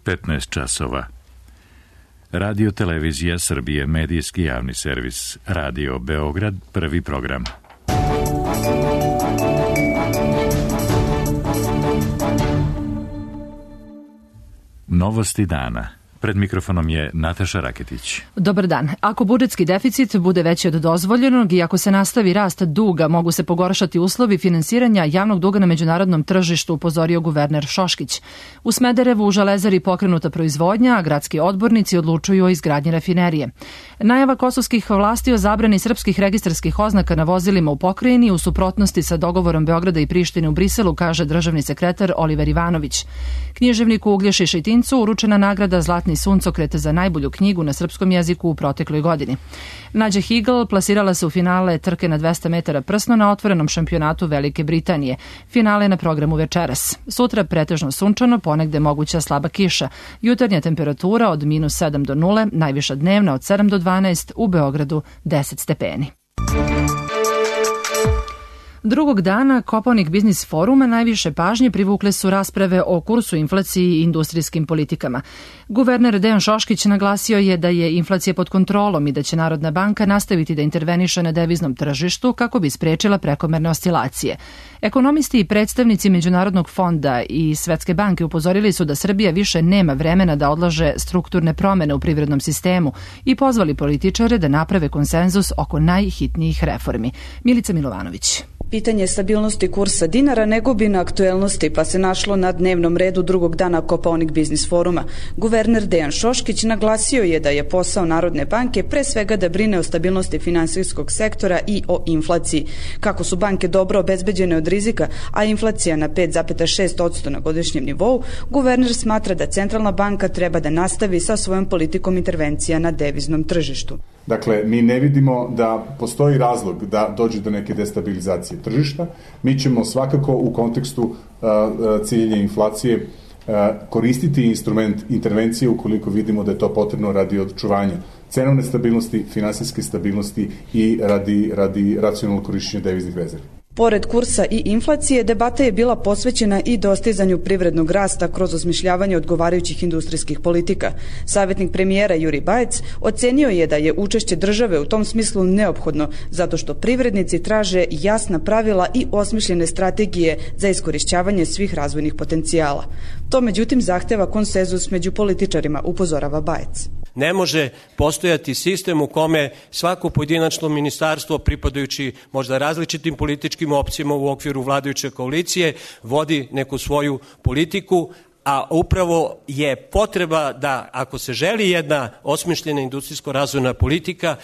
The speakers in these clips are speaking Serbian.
15 časova. Radio Televizija Srbije, medijski javni servis. Radio Beograd, prvi program. Novosti dana. Pred mikrofonom je Nataša Raketić. Dobar dan. Ako budžetski deficit bude veći od dozvoljenog i ako se nastavi rast duga, mogu se pogoršati uslovi finansiranja javnog duga na međunarodnom tržištu, upozorio guverner Šoškić. U Smederevu u Železari pokrenuta proizvodnja, a gradski odbornici odlučuju o izgradnji rafinerije. Najava kosovskih vlasti o zabrani srpskih registarskih oznaka na vozilima u pokrajini u suprotnosti sa dogovorom Beograda i Prištine u Briselu, kaže državni sekretar Oliver Ivanović. Književniku Uglješi Šejtincu uručena nagrada Zlatni suncokret za najbolju knjigu na srpskom jeziku u protekloj godini. Nađa Higl plasirala se u finale trke na 200 metara prsno na otvorenom šampionatu Velike Britanije. Finale na programu večeras. Sutra pretežno sunčano, ponegde moguća slaba kiša. Jutarnja temperatura od -7 do 0, najviša dnevna od 7 do 12, u Beogradu 10 stepeni. Drugog dana Kopaonik biznis foruma najviše pažnje privukle su rasprave o kursu, inflaciji i industrijskim politikama. Guverner Dejan Šoškić naglasio je da je inflacija pod kontrolom i da će Narodna banka nastaviti da interveniše na deviznom tržištu kako bi sprečila prekomerne oscilacije. Ekonomisti i predstavnici Međunarodnog fonda i Svetske banke upozorili su da Srbija više nema vremena da odlaže strukturne promene u privrednom sistemu i pozvali političare da naprave konsenzus oko najhitnijih reformi. Milica Milovanović. Pitanje stabilnosti kursa dinara ne gubi na aktuelnosti, pa se našlo na dnevnom redu drugog dana Kopaonik biznis foruma. Guverner Dejan Šoškić naglasio je da je posao Narodne banke pre svega da brine o stabilnosti finansijskog sektora i o inflaciji. Kako su banke dobro obezbeđene od rizika, a inflacija na 5,6% na godišnjem nivou, guverner smatra da Centralna banka treba da nastavi sa svojom politikom intervencija na deviznom tržištu. Dakle, mi ne vidimo da postoji razlog da dođe do neke destabilizacije tržišta. Mi ćemo svakako u kontekstu ciljenja inflacije koristiti instrument intervencije ukoliko vidimo da je to potrebno radi očuvanja cenovne stabilnosti, finansijske stabilnosti i radi racionalnog korišćenja deviznih rezervi. Pored kursa i inflacije, debata je bila posvećena i dostizanju privrednog rasta kroz osmišljavanje odgovarajućih industrijskih politika. Savjetnik premijera Juri Bajec ocenio je da je učešće države u tom smislu neophodno, zato što privrednici traže jasna pravila i osmišljene strategije za iskorišćavanje svih razvojnih potencijala. To međutim zahteva konsenzus među političarima, upozorava Bajec. Ne može postojati sistem u kome svako pojedinačno ministarstvo, pripadajući možda različitim političkim opcijama u okviru vladajuće koalicije, vodi neku svoju politiku, a upravo je potreba da, ako se želi jedna osmišljena industrijsko-razvojna politika,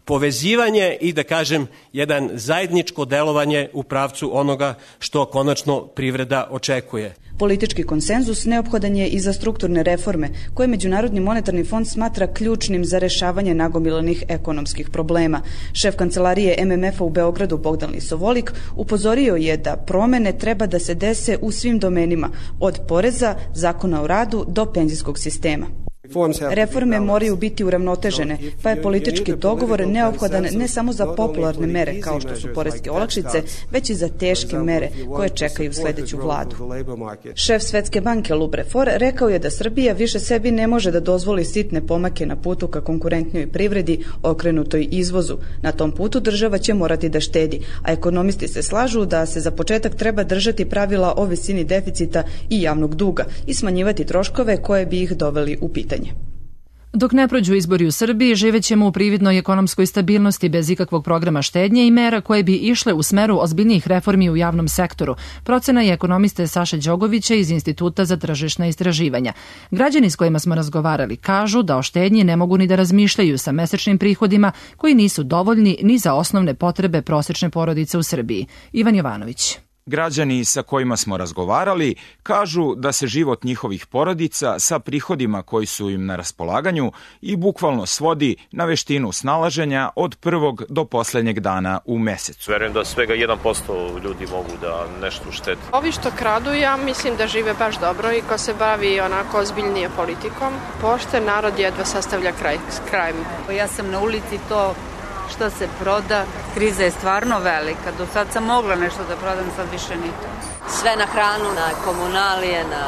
povezivanje i, da kažem, jedan zajedničko delovanje u pravcu onoga što konačno privreda očekuje. Politički konsenzus neophodan je i za strukturne reforme, koje Međunarodni monetarni fond smatra ključnim za rešavanje nagomilanih ekonomskih problema. Šef kancelarije MMF-a u Beogradu Bogdan Lisovolik upozorio je da promene treba da se dese u svim domenima, od poreza, zakona o radu do penzijskog sistema. Reforme moraju biti uravnotežene, pa je politički dogovor neophodan ne samo za popularne mere kao što su poreske olakšice, već i za teške mere koje čekaju sledeću vladu. Šef Svetske banke Lub Refor rekao je da Srbija više sebi ne može da dozvoli sitne pomake na putu ka konkurentnoj privredi okrenutoj izvozu. Na tom putu država će morati da štedi, a ekonomisti se slažu da se za početak treba držati pravila o visini deficita i javnog duga i smanjivati troškove koje bi ih doveli u pitanje. Dok ne prođu izbori u Srbiji, živećemo u prividnoj ekonomskoj stabilnosti bez ikakvog programa štednje i mera koje bi išle u smeru ozbiljnijih reformi u javnom sektoru. Procena je ekonomiste Saše Đogovića iz Instituta za tržišna istraživanja. Građani s kojima smo razgovarali kažu da o štednji ne mogu ni da razmišljaju sa mesečnim prihodima koji nisu dovoljni ni za osnovne potrebe prosečne porodice u Srbiji. Ivan Jovanović. Građani sa kojima smo razgovarali kažu da se život njihovih porodica sa prihodima koji su im na raspolaganju i bukvalno svodi na veštinu snalaženja od prvog do poslednjeg dana u mesecu. Verujem da svega 1% ljudi mogu da nešto uštede. Ovi što kradu, ja mislim da žive baš dobro i ko se bavi onako ozbiljnije politikom. Pošten narod jedva sastavlja kraj s krajem. Ja sam na ulici, to što se proda, kriza je stvarno velika. Do sad sam mogla nešto da prodam, sad više ni to. Sve na hranu, na komunalije, na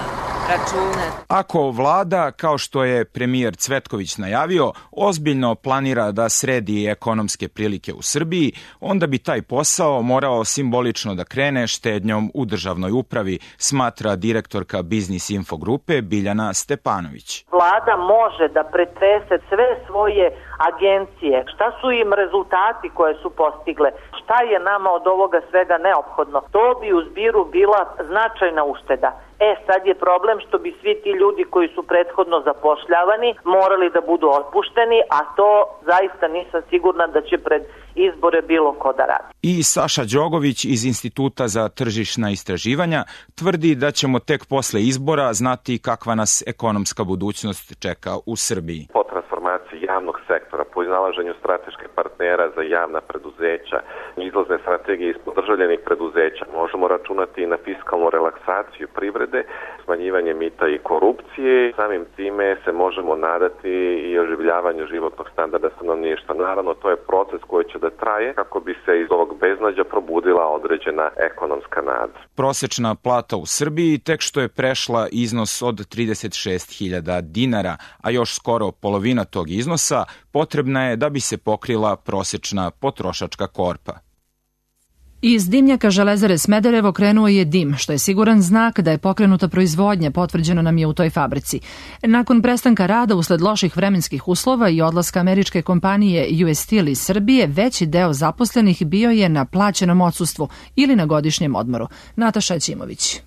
račune. Ako vlada, kao što je premijer Cvetković najavio, ozbiljno planira da sredi ekonomske prilike u Srbiji, onda bi taj posao morao simbolično da krene štednjom u državnoj upravi, smatra direktorka Biznis Info grupe Biljana Stepanović. Vlada može da pretrese sve svoje agencije, šta su im rezultati koje su postigle, šta je nama od ovoga svega neophodno. To bi u zbiru bila značajna ušteda. Sad je problem što bi svi ti ljudi koji su prethodno zapošljavani morali da budu otpušteni, a to zaista nisam sigurna da će pred izbore bilo ko da radi. I Saša Đogović iz Instituta za tržišna istraživanja tvrdi da ćemo tek posle izbora znati kakva nas ekonomska budućnost čeka u Srbiji. Po transformaciji javnog sektora, po iznalaženju strateških partnera za javna preduzeća, izlazne strategije ispod državljenih preduzeća, možemo računati i na fiskalnu relaksaciju privrede, smanjivanje mita i korupcije. Samim time se možemo nadati i oživljavanju životnog standarda stanovništva. Naravno, to je proces koji će da traje kako bi se iz ovog beznađa probudila određena ekonomska nada. Prosečna plata u Srbiji tek što je prešla iznos od 36.000 dinara, a još skoro polovina tog iznosa potrebna je da bi se pokrila prosečna potrošačka korpa. Iz dimnjaka Železare Smederevo krenuo je dim, što je siguran znak da je pokrenuta proizvodnja, potvrđeno nam je u toj fabrici. Nakon prestanka rada usled loših vremenskih uslova i odlaska američke kompanije US Steel iz Srbije, veći deo zaposlenih bio je na plaćenom odsustvu ili na godišnjem odmoru. Nataša Ćimović.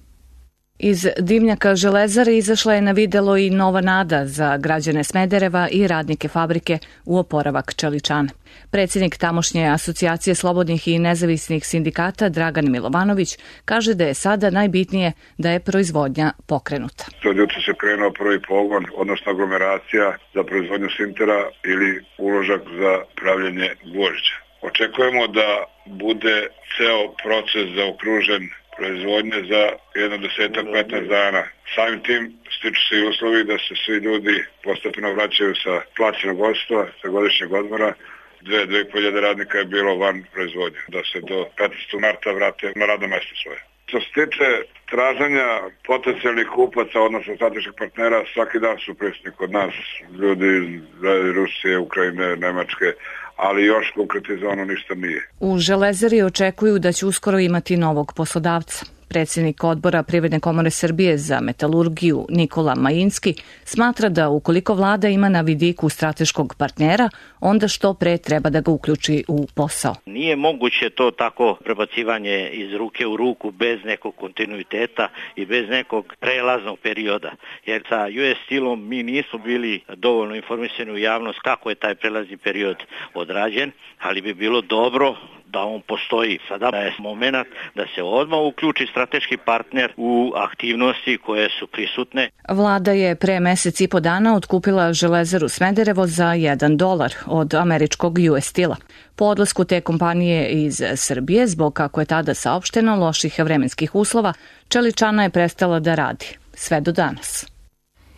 Iz dimnjaka Železare izašla je na videlo i nova nada za građane Smedereva i radnike fabrike u oporavak čeličana. Predsjednik tamošnje asocijacije slobodnih i nezavisnih sindikata Dragan Milovanović kaže da je sada najbitnije da je proizvodnja pokrenuta. Od jutra se krenuo prvi pogon, odnosno aglomeracija za proizvodnju sintera ili uložak za pravljenje gvožđa. Očekujemo da bude ceo proces zaokružen proizvodnje za 10-15 dana. Samim tim stiču se i uslovi da se svi ljudi postepeno vraćaju sa plaćenog odsustva, sa godišnjeg odmora. 2.500 radnika je bilo van proizvodnje, da se do 15. marta vrate na radno mesto svoje. Što se tiče traženja potencijalnih kupaca, odnosno strateških partnera, svaki dan su prisutni kod nas ljudi iz Rusije, Ukrajine, Nemačke, ali još konkretizovano ništa nije. U Železari očekuju da će uskoro imati novog poslodavca. Predsjednik odbora Privredne komore Srbije za metalurgiju Nikola Majinski smatra da ukoliko vlada ima na vidiku strateškog partnera, onda što pre treba da ga uključi u posao. Nije moguće to tako prebacivanje iz ruke u ruku bez nekog kontinuiteta i bez nekog prelaznog perioda. Jer sa US Steelom mi nismo bili dovoljno informisani u javnost kako je taj prelazni period odrađen, ali bi bilo dobro da on postoji. Sada je moment da se odmah uključi strateški partner u aktivnosti koje su prisutne. Vlada je pre mesec i po dana otkupila Železaru Smederevo za $1 od američkog US Steela. Po odlasku te kompanije iz Srbije, zbog kako je tada saopšteno loših vremenskih uslova, čeličana je prestala da radi. Sve do danas.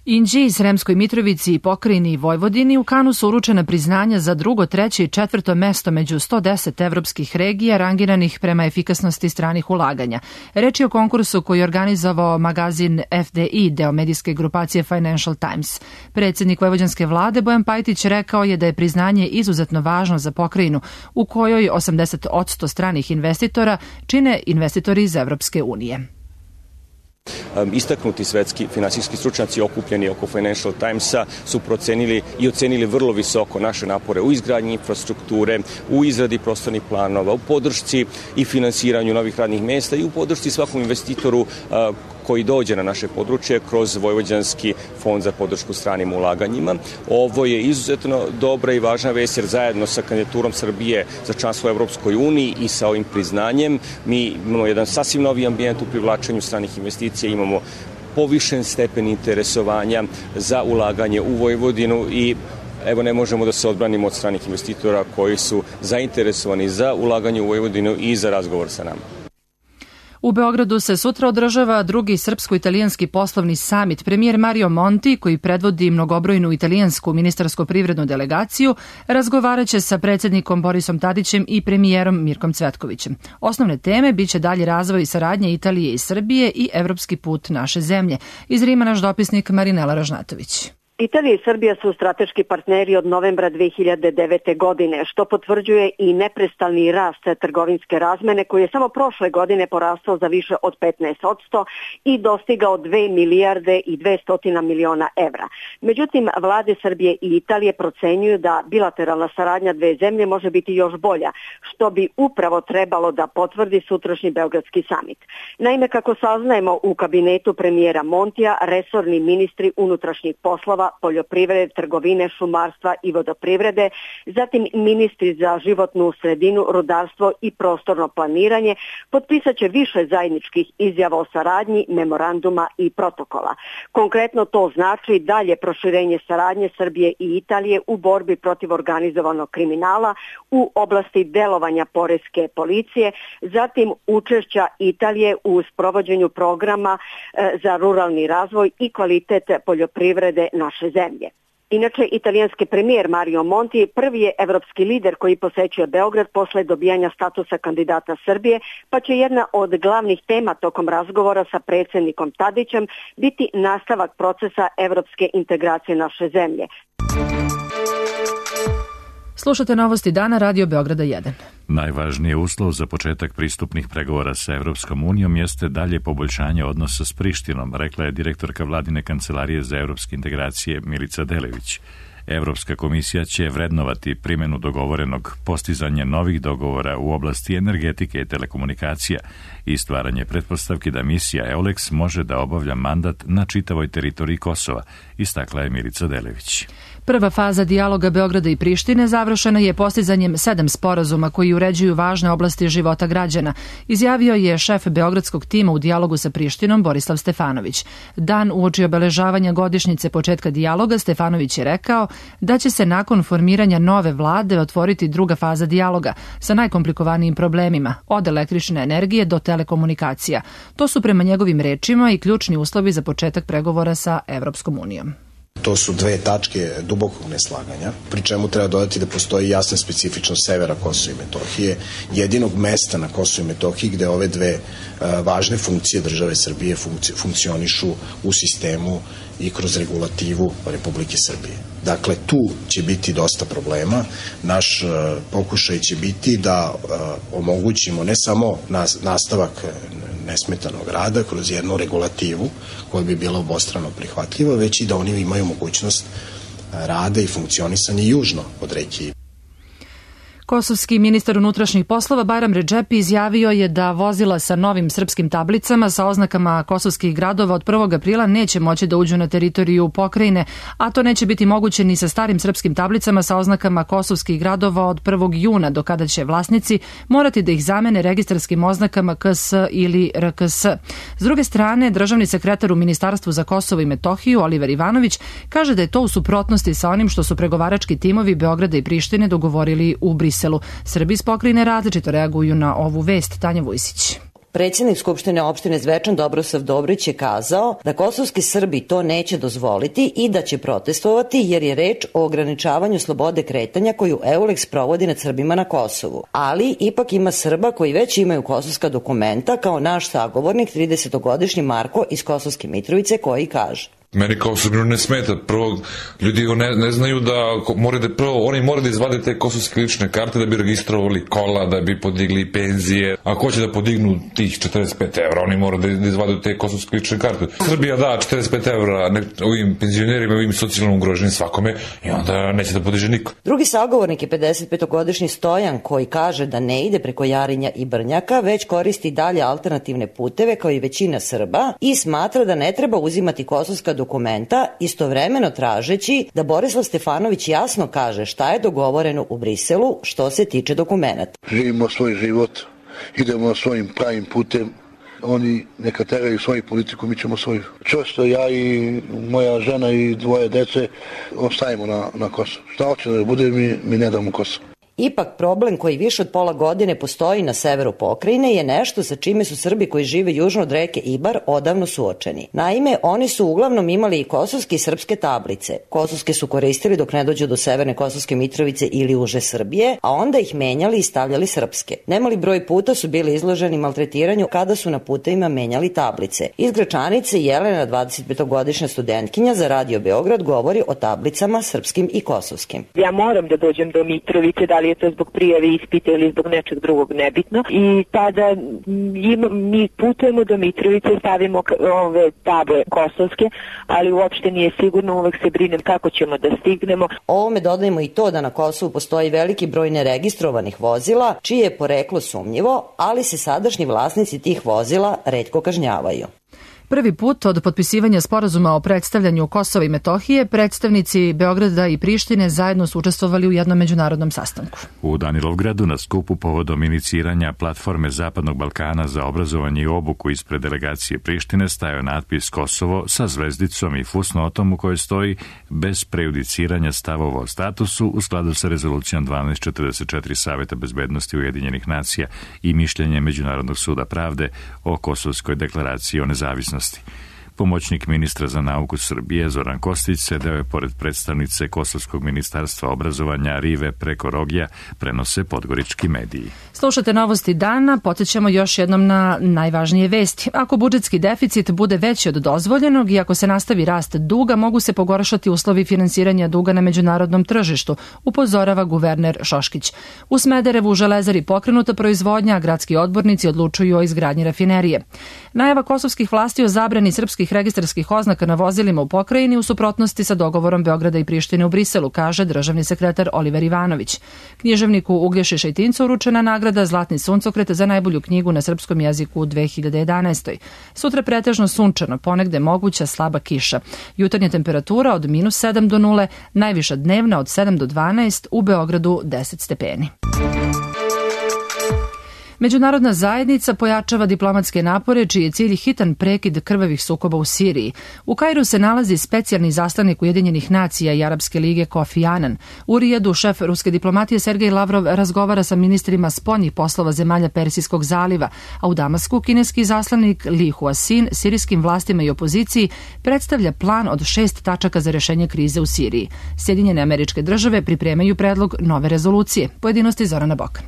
Inđiji, Sremskoj Mitrovici i Pokrajini i Vojvodini u Kanu su uručena priznanja za 2., 3. i 4. mesto među 110 evropskih regija rangiranih prema efikasnosti stranih ulaganja. Reč je o konkursu koji je organizovao magazin FDI, deo medijske grupacije Financial Times. Predsjednik vojvođanske vlade Bojan Pajtić rekao je da je priznanje izuzetno važno za pokrajinu, u kojoj 80% stranih investitora čine investitori iz Evropske unije. Istaknuti svetski finansijski stručnjaci okupljeni oko Financial Timesa su procenili i ocenili vrlo visoko naše napore u izgradnji infrastrukture, u izradi prostornih planova, u podršci i finansiranju novih radnih mesta i u podršci svakom investitoru koji dođe na naše područje kroz Vojvođanski fond za podršku stranim ulaganjima. Ovo je izuzetno dobra i važna vest jer zajedno sa kandidaturom Srbije za članstvo u Evropskoj uniji i sa ovim priznanjem mi imamo jedan sasvim novi ambijent u privlačenju stranih investicija, imamo povišen stepen interesovanja za ulaganje u Vojvodinu i evo ne možemo da se odbranimo od stranih investitora koji su zainteresovani za ulaganje u Vojvodinu i za razgovor sa nama. U Beogradu se sutra održava drugi srpsko-italijanski poslovni samit. Premijer Mario Monti, koji predvodi mnogobrojnu italijansku ministarsko-privrednu delegaciju, razgovaraće sa predsjednikom Borisom Tadićem i premijerom Mirkom Cvetkovićem. Osnovne teme biće dalji razvoj saradnje Italije i Srbije i evropski put naše zemlje. Iz Rima naš dopisnik Marinela Ražnatović. Italija i Srbija su strateški partneri od novembra 2009. godine, što potvrđuje i neprestalni rast trgovinske razmene koji je samo prošle godine porastao za više od 15% i dostigao 2 milijarde i 200 miliona evra. Međutim, vlade Srbije i Italije procenjuju da bilateralna saradnja dve zemlje može biti još bolja, što bi upravo trebalo da potvrdi sutrašnji Beogradski samit. Naime, kako saznajemo u kabinetu premijera Montija, resorni ministri unutrašnjih poslova, poljoprivrede, trgovine, šumarstva i vodoprivrede, zatim ministri za životnu sredinu, rudarstvo i prostorno planiranje potpisat će više zajedničkih izjava o saradnji, memoranduma i protokola. Konkretno to znači dalje proširenje saradnje Srbije i Italije u borbi protiv organizovanog kriminala u oblasti delovanja poreske policije, zatim učešća Italije u sprovođenju programa za ruralni razvoj i kvalitet poljoprivrede naše zemlje. Inače, italijanski premijer Mario Monti prvi je evropski lider koji posećuje Beograd posle dobijanja statusa kandidata Srbije, pa će jedna od glavnih tema tokom razgovora sa predsjednikom Tadićem biti nastavak procesa evropske integracije naše zemlje. Slušate novosti dana Radio Beograda 1. Najvažniji uslov za početak pristupnih pregovora sa Evropskom unijom jeste dalje poboljšanje odnosa s Prištinom, rekla je direktorka vladine kancelarije za evropske integracije Milica Delević. Evropska komisija će vrednovati primjenu dogovorenog, postizanje novih dogovora u oblasti energetike i telekomunikacija i stvaranje pretpostavki da misija EULEX može da obavlja mandat na čitavoj teritoriji Kosova, istakla je Milica Delević. Prva faza dijaloga Beograda i Prištine završena je postizanjem 7 sporazuma koji uređuju važne oblasti života građana, izjavio je šef beogradskog tima u dijalogu sa Prištinom Borislav Stefanović. Dan uoči obeležavanja godišnjice početka dijaloga, Stefanović je rekao da će se nakon formiranja nove vlade otvoriti druga faza dijaloga sa najkomplikovanijim problemima, od električne energije do telekomunikacija. To su prema njegovim rečima i ključni uslovi za početak pregovora sa Evropskom unijom. To su dve tačke dubokog neslaganja, pri čemu treba dodati da postoji jasna specifičnost severa Kosova i Metohije, jedinog mesta na Kosovu i Metohiji gde ove dve važne funkcije države Srbije funkcionišu u sistemu i kroz regulativu Republike Srbije. Dakle, tu će biti dosta problema. Naš pokušaj će biti da omogućimo ne samo nastavak nesmetanog rada kroz jednu regulativu koja bi bila obostrano prihvatljiva, već i da oni imaju mogućnost rada i funkcionisanja južno od reke. Kosovski ministar unutrašnjih poslova Bajram Redžepi izjavio je da vozila sa novim srpskim tablicama sa oznakama kosovskih gradova od 1. aprila neće moći da uđu na teritoriju pokrajine, a to neće biti moguće ni sa starim srpskim tablicama sa oznakama kosovskih gradova od 1. juna, do kada će vlasnici morati da ih zamene registarskim oznakama KS ili RKS. S druge strane, državni sekretar u Ministarstvu za Kosovo i Metohiju Oliver Ivanović kaže da je to u suprotnosti sa onim što su pregovarački timovi Beograda i Prištine dogovorili u Briselu. Srbi iz pokrajine različito reaguju na ovu vest. Tanja Vujsić. Predsjednik Skupštine opštine Zvečan Dobrosav Dobrić je kazao da kosovski Srbi to neće dozvoliti i da će protestovati jer je reč o ograničavanju slobode kretanja koju EULEX provodi nad Srbima na Kosovu. Ali ipak ima Srba koji već imaju kosovska dokumenta, kao naš sagovornik 30-godišnji Marko iz Kosovske Mitrovice, koji kaže: Meni kao Srbinu ne smeta. Prvo, ljudi ne znaju da oni moraju da izvade te kosovske lične karte da bi registrovali kola, da bi podigli penzije. Ako hoće da podignu tih 45 evra, oni moraju da izvade te kosovske lične karte. Srbija da 45 evra ovim penzionerima, ovim socijalno ugroženim svakome i onda neće da podiže niko. Drugi sagovornik je 55-godišnji Stojan, koji kaže da ne ide preko Jarinja i Brnjaka, već koristi dalje alternativne puteve kao i većina Srba i smatra da ne treba uzimati kosovska dokumenta, istovremeno tražeći da Borislav Stefanović jasno kaže šta je dogovoreno u Briselu što se tiče dokumenta. Živimo svoj život, idemo svojim pravim putem, oni neka teraju svoju politiku, mi ćemo svoju. Čvrsto ja i moja žena i dvoje dece ostajemo na Kosovu. Šta hoće da bude, mi ne damo Kosovo. Ipak problem koji više od pola godine postoji na severu pokrajine je nešto sa čime su Srbi koji žive južno od reke Ibar odavno suočeni. Naime, oni su uglavnom imali i kosovske i srpske tablice. Kosovske su koristili dok ne dođu do severne Kosovske Mitrovice ili uže Srbije, a onda ih menjali i stavljali srpske. Nemali broj puta su bili izloženi maltretiranju kada su na putevima menjali tablice. Iz Gračanice Jelena, 25-godišnja studentkinja za Radio Beograd, govori o tablicama srpskim i kosovskim. Ja moram da dođem do Mitrovice, da li je to zbog prijave ispita ili zbog nečeg drugog, nebitno. I tada mi putujemo do Mitrovice, stavimo ove table kosovske, ali uopšte nije sigurno, uvek se brinem kako ćemo da stignemo. Ovome dodajemo i to da na Kosovu postoji veliki broj neregistrovanih vozila, čije je poreklo sumnjivo, ali se sadašnji vlasnici tih vozila retko kažnjavaju. Prvi put od potpisivanja sporazuma o predstavljanju Kosova i Metohije, predstavnici Beograda i Prištine zajedno su učestvovali u jednom međunarodnom sastanku. U Danilovgradu na skupu povodom iniciranja platforme Zapadnog Balkana za obrazovanje i obuku ispred delegacije Prištine stajao natpis Kosovo sa zvezdicom i fusnotom u kojoj stoji bez prejudiciranja stavova o statusu u skladu sa rezolucijom 1244 Saveta bezbednosti Ujedinjenih nacija i mišljenje Međunarodnog suda pravde o Kosovskoj deklaraciji o nezavisnosti. Pomoćnik ministra za nauku Srbije Zoran Kostić sedeo je pored predstavnice Kosovskog ministarstva obrazovanja Rive preko Rogija, prenose podgorički mediji. Slušate novosti dana, podsjećamo još jednom na najvažnije vesti. Ako budžetski deficit bude veći od dozvoljenog i ako se nastavi rast duga, mogu se pogoršati uslovi finansiranja duga na međunarodnom tržištu, upozorava guverner Šoškić. U Smederevu u Železari pokrenuta proizvodnja, a gradski odbornici odlučuju o izgradnji rafinerije. Najava kosovskih vlasti o zabrani srpskih registarskih oznaka na vozilima u pokrajini u suprotnosti sa dogovorom Beograda i Prištine u Briselu, kaže državni sekretar Oliver Ivanović. Književniku Uglješi Šejtincu uručena nagrada Zlatni suncokret za najbolju knjigu na srpskom jeziku u 2011. Sutra pretežno sunčano, ponegde moguća slaba kiša. Jutarnja temperatura od -7 do 0, najviša dnevna od 7 do 12, u Beogradu 10 stepeni. Međunarodna zajednica pojačava diplomatske napore čiji je cilj hitan prekid krvavih sukoba u Siriji. U Kairu se nalazi specijalni zaslanik Ujedinjenih nacija i Arapske lige Kofi Annan. U Rijadu šef ruske diplomatije Sergej Lavrov razgovara sa ministrima spoljnih poslova zemalja Persijskog zaliva, a u Damasku kineski zaslanik Li Huasin sirijskim vlastima i opoziciji predstavlja plan od 6 tačaka za rešenje krize u Siriji. Sjedinjene Američke Države pripremaju predlog nove rezolucije. Pojedinosti Zorana Bokan.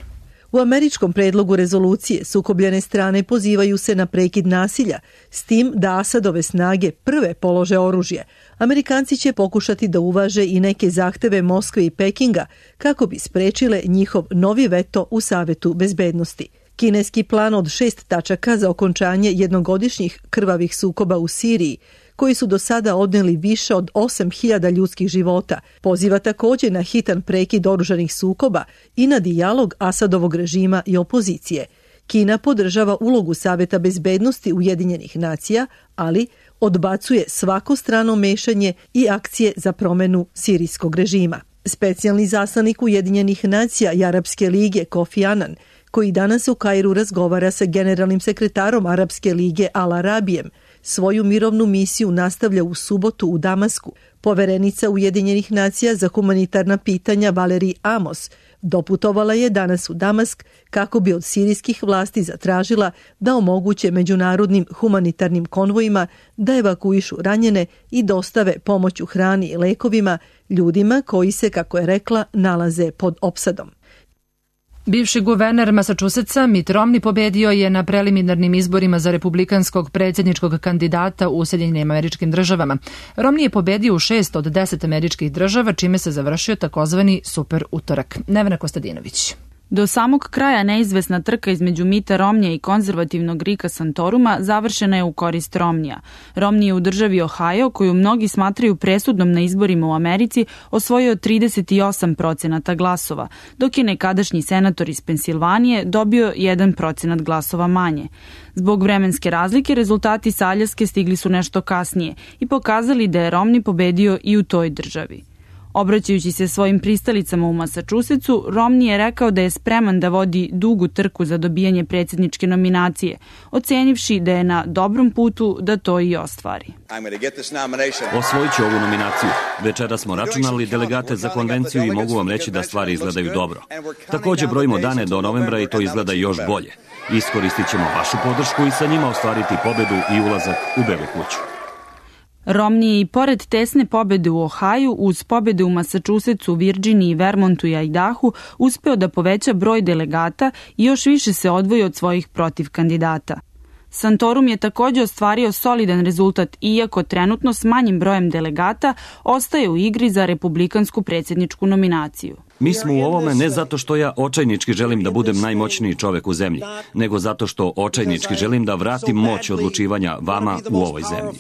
U američkom predlogu rezolucije sukobljene strane pozivaju se na prekid nasilja, s tim da Asadove snage prve polože oružje. Amerikanci će pokušati da uvaže i neke zahteve Moskve i Pekinga kako bi sprečile njihov novi veto u Savetu bezbednosti. Kineski plan od 6 tačaka za okončanje jednogodišnjih krvavih sukoba u Siriji, koji su do sada odneli više od 8.000 ljudskih života, poziva također na hitan prekid oružanih sukoba i na dijalog Asadovog režima i opozicije. Kina podržava ulogu Saveta bezbednosti Ujedinjenih nacija, ali odbacuje svako strano mešanje i akcije za promenu sirijskog režima. Specijalni zaslanik Ujedinjenih nacija i Arapske lige Kofi Annan, koji danas u Kairu razgovara sa generalnim sekretarom Arapske lige Al Arabijem, svoju mirovnu misiju nastavlja u subotu u Damasku. Poverenica Ujedinjenih nacija za humanitarna pitanja Valerij Amos doputovala je danas u Damask kako bi od sirijskih vlasti zatražila da omoguće međunarodnim humanitarnim konvojima da evakuišu ranjene i dostave pomoć u hrani i lekovima ljudima koji se, kako je rekla, nalaze pod opsadom. Bivši guverner Massachusettsa Mitt Romney pobedio je na preliminarnim izborima za republikanskog predsjedničkog kandidata u Sjedinjenim Američkim Državama. Romney je pobedio u 6 od 10 američkih država, čime se završio takozvani super utorak. Nevena Kostadinović. Do samog kraja neizvesna trka između Mitta Romnija i konzervativnog Ricka Santoruma završena je u korist Romnija. Romney je u državi Ohio, koju mnogi smatraju presudnom na izborima u Americi, osvojio 38% glasova, dok je nekadašnji senator iz Pensilvanije dobio 1% glasova manje. Zbog vremenske razlike, rezultati sa Aljaske stigli su nešto kasnije i pokazali da je Romney pobedio i u toj državi. Obraćajući se svojim pristalicama u Massachusettsu, Romney je rekao da je spreman da vodi dugu trku za dobijanje predsjedničke nominacije, ocenivši da je na dobrom putu da to i ostvari. Osvojit ću ovu nominaciju. Večera smo računali delegate za konvenciju i mogu vam reći da stvari izgledaju dobro. Također brojimo dane do novembra i to izgleda još bolje. Iskoristit ćemo vašu podršku i sa njima ostvariti pobedu i ulazak u Belu kuću. Romney je i pored tesne pobede u Ohaju, uz pobede u Massachusettsu, Virginiji, Vermontu i Idahu, uspeo da poveća broj delegata i još više se odvoji od svojih protiv kandidata. Santorum je također ostvario solidan rezultat, iako trenutno s manjim brojem delegata ostaje u igri za republikansku predsjedničku nominaciju. Mi smo u ovome ne zato što ja očajnički želim da budem najmoćniji čovek u zemlji, nego zato što očajnički želim da vratim moć odlučivanja vama u ovoj zemlji.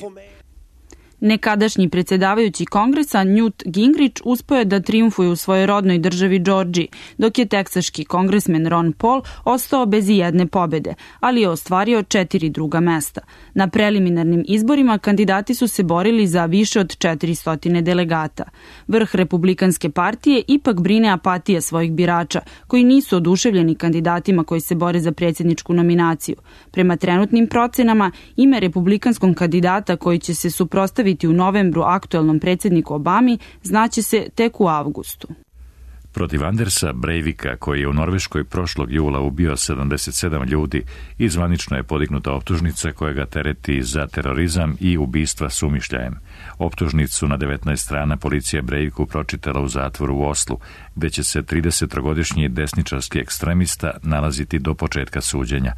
Nekadašnji predsjedavajući kongresa Newt Gingrich uspeo je da trijumfuje u svojoj rodnoj državi Džordžiji, dok je teksaški kongresmen Ron Paul ostao bez ijedne pobede, ali je ostvario 4 druga mesta. Na preliminarnim izborima kandidati su se borili za više od 400 delegata. Vrh Republikanske partije ipak brine apatija svojih birača, koji nisu oduševljeni kandidatima koji se bore za predsjedničku nominaciju. Prema trenutnim procenama, ime republikanskom kandidata koji će se suprotstaviti u novembru aktuelnom predsjedniku Obami znaće se tek u avgustu. Protiv Andersa Breivika, koji je u Norveškoj prošlog jula ubio 77 ljudi, i zvanično je podignuta optužnica koja ga tereti za terorizam i ubistva s umišljajem. Optužnicu na 19 strana policija Breiviku pročitala u zatvoru u Oslu, gde će se 33-godišnji desničarski ekstremista nalaziti do početka suđenja.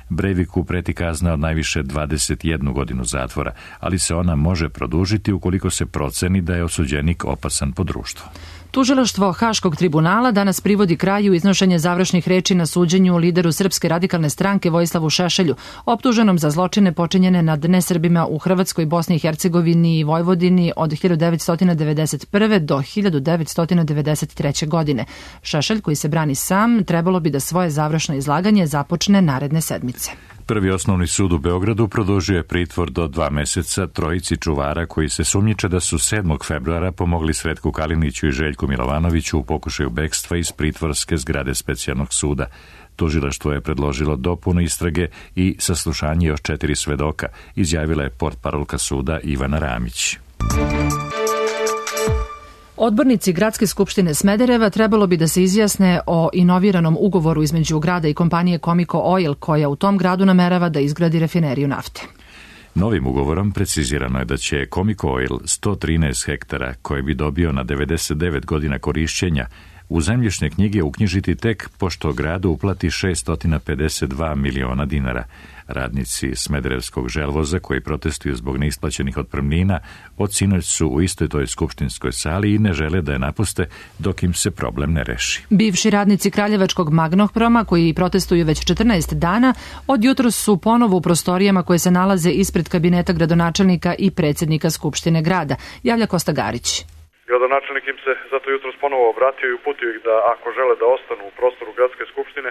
Breiviku preti kazna od najviše 21 godinu zatvora, ali se ona može produžiti ukoliko se proceni da je osuđenik opasan po društvo. Tužilaštvo Haškog tribunala danas privodi kraju iznošenje završnih reči na suđenju lideru Srpske radikalne stranke Vojislavu Šešelju, optuženom za zločine počinjene nad nesrbima u Hrvatskoj, Bosni i Hercegovini i Vojvodini od 1991. do 1993. godine. Šešelj, koji se brani sam, trebalo bi da svoje završno izlaganje započne naredne sedmice. Prvi osnovni sud u Beogradu produžio je pritvor do 2 meseca trojici čuvara koji se sumnjiče da su 7. februara pomogli Sretku Kaliniću i Željku Milovanoviću u pokušaju bekstva iz pritvorske zgrade specijalnog suda. Tužilaštvo je predložilo dopunu istrage i saslušanje još 4 svedoka, izjavila je portparolka suda Ivana Ramić. Odbornici Gradske skupštine Smedereva trebalo bi da se izjasne o inoviranom ugovoru između grada i kompanije Comico Oil, koja u tom gradu namerava da izgradi rafineriju nafte. Novim ugovorom precizirano je da će Comico Oil 113 hektara, koje bi dobio na 99 godina korišćenja, u zemljišne knjige uknjižiti tek pošto gradu uplati 652 miliona dinara. Radnici Smederevskog želvoza, koji protestuju zbog neisplaćenih otpremnina, od sinoć su u istoj toj skupštinskoj sali i ne žele da je napuste dok im se problem ne reši. Bivši radnici Kraljevačkog Magnohroma, koji protestuju već 14 dana, od jutros su ponovo u prostorijama koje se nalaze ispred kabineta gradonačelnika i predsjednika Skupštine grada, javlja Kosta Garić. Gradonačelnik im se zato jutros ponovo obratio i uputio ih da ako žele da ostanu u prostoru gradske skupštine,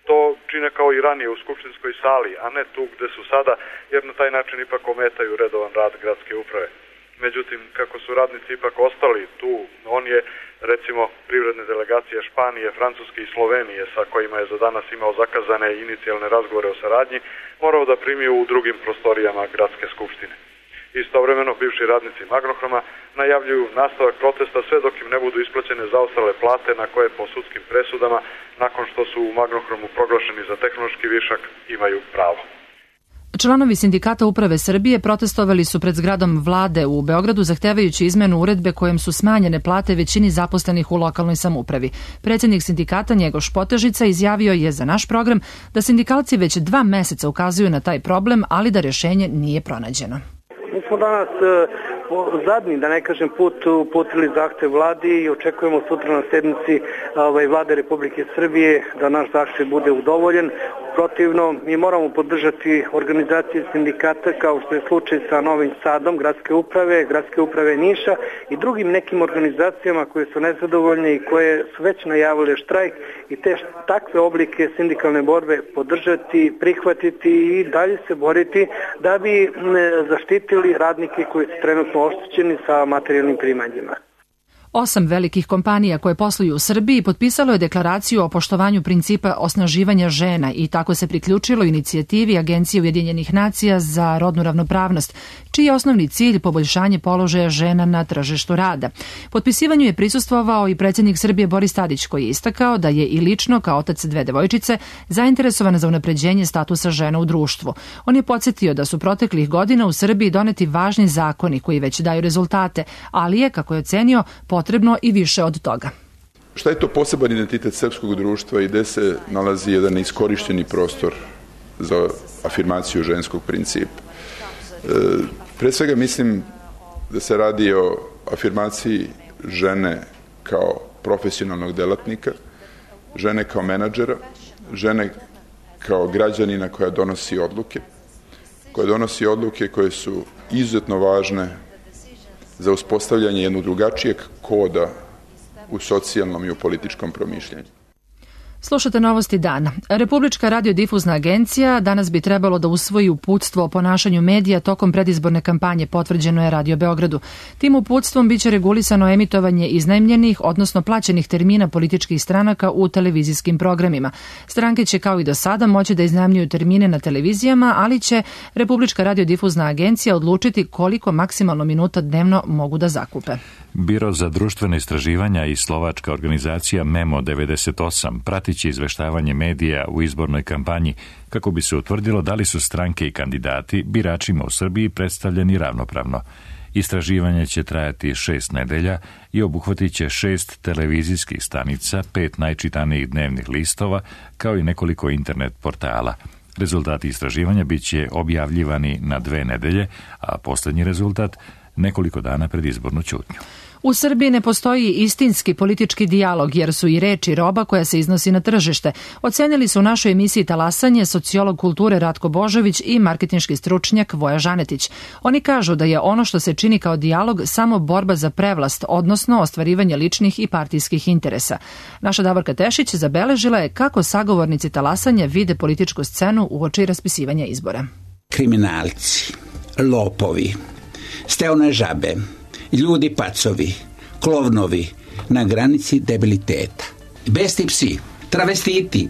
to čine kao i ranije u skupštinskoj sali, a ne tu gde su sada, jer na taj način ipak ometaju redovan rad gradske uprave. Međutim, kako su radnici ipak ostali tu, on je, recimo, privredne delegacije Španije, Francuske i Slovenije, sa kojima je za danas imao zakazane inicijalne razgovore o saradnji, morao da primi u drugim prostorijama gradske skupštine. Istovremeno, bivši radnici Magnohroma najavljuju nastavak protesta sve dok im ne budu isplaćene zaostale plate na koje po sudskim presudama, nakon što su u Magnohromu proglašeni za tehnološki višak, imaju pravo. Članovi Sindikata uprave Srbije protestovali su pred zgradom vlade u Beogradu zahtevajući izmenu uredbe kojom su smanjene plate većini zaposlenih u lokalnoj samoupravi. Predsjednik sindikata Njegoš Potežica izjavio je za naš program da sindikalci već 2 meseca ukazuju na taj problem, ali da rješenje nije pronađeno. Mi smo danas zadnji, da ne kažem, put uputili zahtev vladi i očekujemo sutra na sednici vlade Republike Srbije da naš zahtev bude udovoljen. Protivno, mi moramo podržati organizacije sindikata kao što je slučaj sa Novim Sadom, gradske uprave Niša i drugim nekim organizacijama koje su nezadovoljne i koje su već najavile štrajk i takve oblike sindikalne borbe podržati, prihvatiti i dalje se boriti da bi zaštitili radnike koji su trenutno oštećeni sa materijalnim primanjima. 8 velikih kompanija koje posluju u Srbiji potpisalo je deklaraciju o poštovanju principa osnaživanja žena i tako se priključilo inicijativi Agencije Ujedinjenih nacija za rodnu ravnopravnost, čiji je osnovni cilj poboljšanje položaja žena na tržištu rada. Potpisivanju je prisustvovao i predsjednik Srbije Boris Tadić, koji je istakao da je i lično, kao otac 2 devojčice, zainteresovan za unapređenje statusa žena u društvu. On je podsjetio da su proteklih godina u Srbiji doneti važni zakoni koji već daju rezultate, ali je, kako je ocenio, potrebno i više od toga. Šta je to poseban identitet srpskog društva i gde se nalazi jedan iskorišćeni prostor za afirmaciju ženskog principa? Pre svega mislim da se radi o afirmaciji žene kao profesionalnog delatnika, žene kao menadžera, žene kao građanina koja donosi odluke koje su izuzetno važne za uspostavljanje jednog drugačijeg koda u socijalnom i u političkom promišljanju. Slušate novosti dana. Republička radiodifuzna agencija danas bi trebalo da usvoji uputstvo o ponašanju medija tokom predizborne kampanje, potvrđeno je Radio Beogradu. Tim uputstvom biće regulisano emitovanje iznajmljenih, odnosno plaćenih termina političkih stranaka u televizijskim programima. Stranke će kao i do sada moći da iznajmljuju termine na televizijama, ali će Republička radiodifuzna agencija odlučiti koliko maksimalno minuta dnevno mogu da zakupe. Biro za društvene istraživanja i slovačka organizacija Memo 98 pratiće izveštavanje medija u izbornoj kampanji kako bi se utvrdilo da li su stranke i kandidati biračima u Srbiji predstavljeni ravnopravno. Istraživanje će trajati 6 nedelja i obuhvatit će 6 televizijskih stanica, 5 najčitanijih dnevnih listova, kao i nekoliko internet portala. Rezultati istraživanja bit će objavljivani na 2 nedelje, a posljednji rezultat nekoliko dana pred izbornu ćutnju. U Srbiji ne postoji istinski politički dijalog jer su i reči roba koja se iznosi na tržište. Ocenili su u našoj emisiji Talasanje sociolog kulture Ratko Božović i marketinški stručnjak Voja Žanetić. Oni kažu da je ono što se čini kao dijalog samo borba za prevlast, odnosno ostvarivanje ličnih i partijskih interesa. Naša Davorka Tešić zabeležila je kako sagovornici Talasanja vide političku scenu uoči raspisivanja izbora. Kriminalci, lopovi, steone žabe, ljudi pacovi, klovnovi na granici debiliteta, besti psi, travestiti,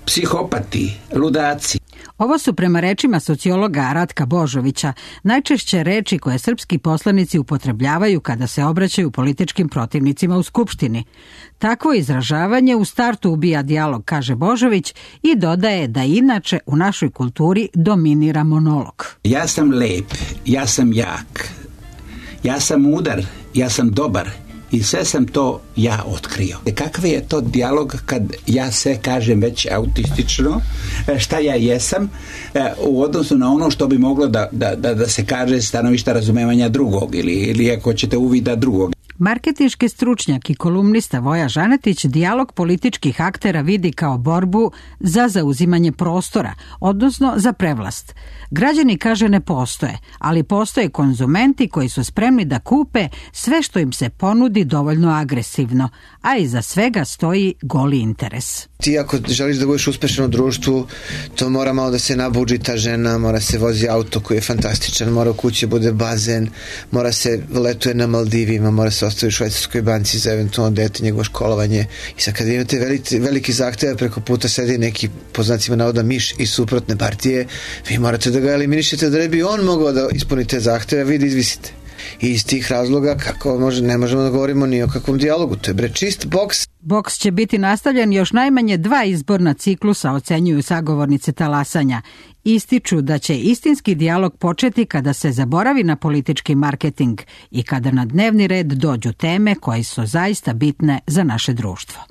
psihopati, ludaci. Ovo su prema rečima sociologa Ratka Božovića najčešće reči koje srpski poslanici upotrebljavaju kada se obraćaju političkim protivnicima u Skupštini. Takvo izražavanje u startu ubija dijalog, kaže Božović, i dodaje da inače u našoj kulturi dominira monolog. Ja sam lep, ja sam jak, ja sam mudar, ja sam dobar i sve sam to ja otkrio. Kakav je to dijalog kad ja se kažem već autistično šta ja jesam u odnosu na ono što bi moglo da se kaže stanovišta razumevanja drugog ili ako ćete uvida drugog. Marketinški stručnjak i kolumnista Voja Žanetić dijalog političkih aktera vidi kao borbu za zauzimanje prostora, odnosno za prevlast. Građani, kaže, ne postoje, ali postoje konzumenti koji su spremni da kupe sve što im se ponudi dovoljno agresivno, a iza svega stoji goli interes. Ti ako želiš da budeš uspešan u društvu, to mora malo da se nabuđi ta žena, mora se vozi auto koji je fantastičan, mora u kući bude bazen, mora se letuje na Maldivima, mora se ostavi u švajcarskoj banci za eventualno dete, njegovo školovanje. I sad kad imate veliki zahtev, preko puta sedi neki, po znacima navoda, miš iz suprotne partije, vi morate da ga eliminišete da ne bi on mogao da ispuni te zahteve, vi da izvisite. I iz tih razloga ne možemo da govorimo ni o kakvom dijalogu, to je čist boks. Boks će biti nastavljen još najmanje 2 izborna ciklusa, ocenjuju sagovornice Talasanja. Ističu da će istinski dijalog početi kada se zaboravi na politički marketing i kada na dnevni red dođu teme koje su zaista bitne za naše društvo.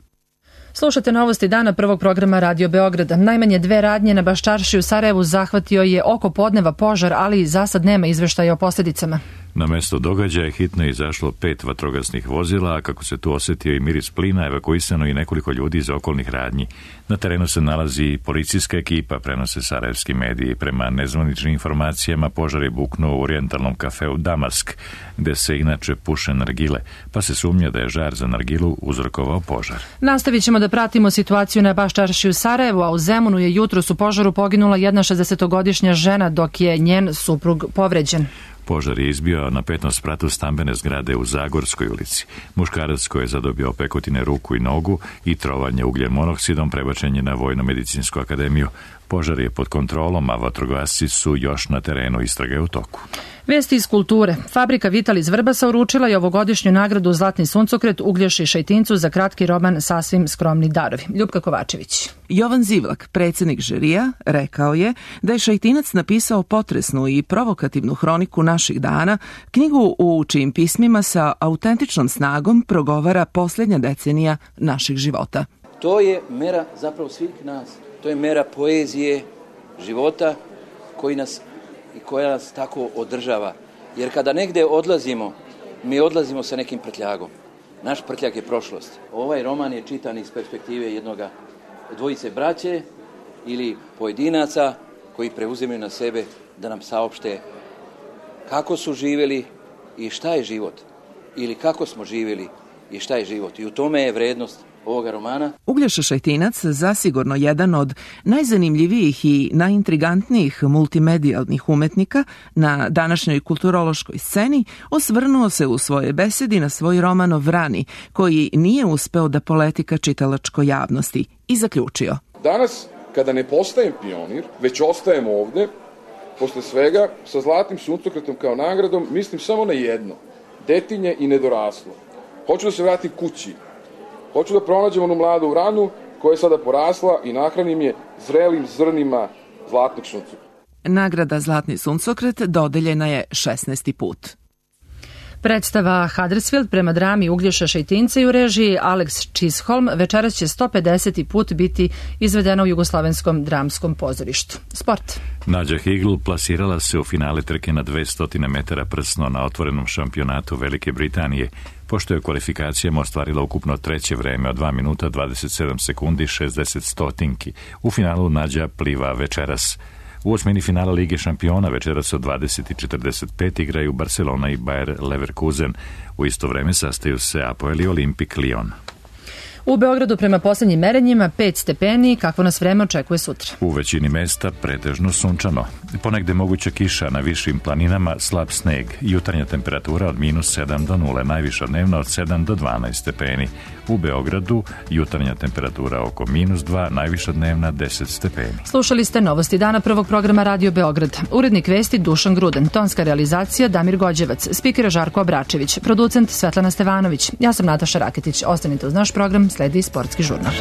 Slušate novosti dana prvog programa Radio Beograda. Najmanje 2 radnje na Baščarši u Sarajevu zahvatio je oko podneva požar, ali za sad nema izveštaja o posljedicama. Na mesto događaja hitno je izašlo 5 vatrogasnih vozila, a kako se tu osjetio i miris plina, evakuisano i nekoliko ljudi iz okolnih radnji. Na terenu se nalazi policijska ekipa, prenose sarajevski mediji. Prema nezvaničnim informacijama požar je buknuo u orijentalnom kafeu Damask, gde se inače puše nargile, pa se sumnja da je žar za nargilu uzrokovao požar. Nastavit ćemo da pratimo situaciju na Baščarši u Sarajevu, a u Zemunu je jutros u požaru poginula jedna 60-godišnja žena, dok je njen suprug povređen. Požar je izbio na 5. spratu stambene zgrade u Zagorskoj ulici. Muškarac koji je zadobio opekotine ruku i nogu i trovanje ugljen monoksidom prebačen je na Vojno-medicinsku akademiju. Požar je pod kontrolom, a vatrogasci su još na terenu, istraga je u toku. Vesti iz kulture. Fabrika Vital iz Vrbasa uručila je ovogodišnju nagradu Zlatni suncokret Uglješi Šejtincu za kratki roman Sasvim skromni darovi. Ljupka Kovačević. Jovan Zivlak, predsjednik žirija, rekao je da je Šejtinac napisao potresnu i provokativnu hroniku naših dana, knjigu u čijim pismima sa autentičnom snagom progovara posljednja decenija naših života. To je mera zapravo svih nas. To je mera poezije, života koja nas tako održava. Jer kada negde odlazimo, mi odlazimo sa nekim prtljagom. Naš prtljag je prošlost. Ovaj roman je čitan iz perspektive dvojice braće ili pojedinaca koji preuzimaju na sebe da nam saopšte kako su živjeli i šta je život. Ili kako smo živjeli i šta je život. I u tome je vrednost ovoga romana. Uglješa Šejtinac, zasigurno jedan od najzanimljivijih i najintrigantnijih multimedijalnih umetnika na današnjoj kulturološkoj sceni, osvrnuo se u svojoj besedi na svoj roman o Vrani, koji nije uspeo da poleti ka čitalačkoj javnosti, i zaključio. Danas, kada ne postajem pionir, već ostajem ovde, posle svega, sa Zlatnim suncokretom kao nagradom, mislim samo na jedno, detinje i nedoraslo. Hoću da se vratim kući. Hoću da pronađem onu mladu vranu koja je sada porasla i nahranim je zrelim zrnima zlatnog suncokreta. Nagrada Zlatni suncokret dodeljena je 16. put. Predstava Huddersfield prema drami Uglješa Šejtinca i u režiji Alex Chisholm večeras će 150. put biti izvedena u Jugoslavenskom dramskom pozorištu. Sport. Nađa Higl plasirala se u finale trke na 200 metara prsno na otvorenom šampionatu Velike Britanije, pošto je u kvalifikacijama ostvarila ukupno treće vreme od 2 minuta 27 sekundi 60 stotinki. U finalu Nađa pliva večeras. U osmini finala Lige šampiona večeras od 20:45 igraju Barcelona i Bayer Leverkusen. U isto vreme sastaju se Apoel i Olimpik Lyon. U Beogradu prema posljednjim merenjima 5 stepeni, kakvo nas vreme očekuje sutra. U većini mesta pretežno sunčano. Ponegde moguća kiša, na višim planinama slab sneg. Jutarnja temperatura od -7 do 0, najviša dnevna od 7 do 12 stepeni. U Beogradu jutarnja temperatura oko -2, najviša dnevna 10 stepeni. Slušali ste novosti dana prvog programa Radio Beograd. Urednik vesti Dušan Gruden, tonska realizacija Damir Gođevac, spikera Žarko Abračević, producent Svetlana Stevanović. Ja sam Nataša Raketić. Ostanite uz naš program, sledi sportski žurnal.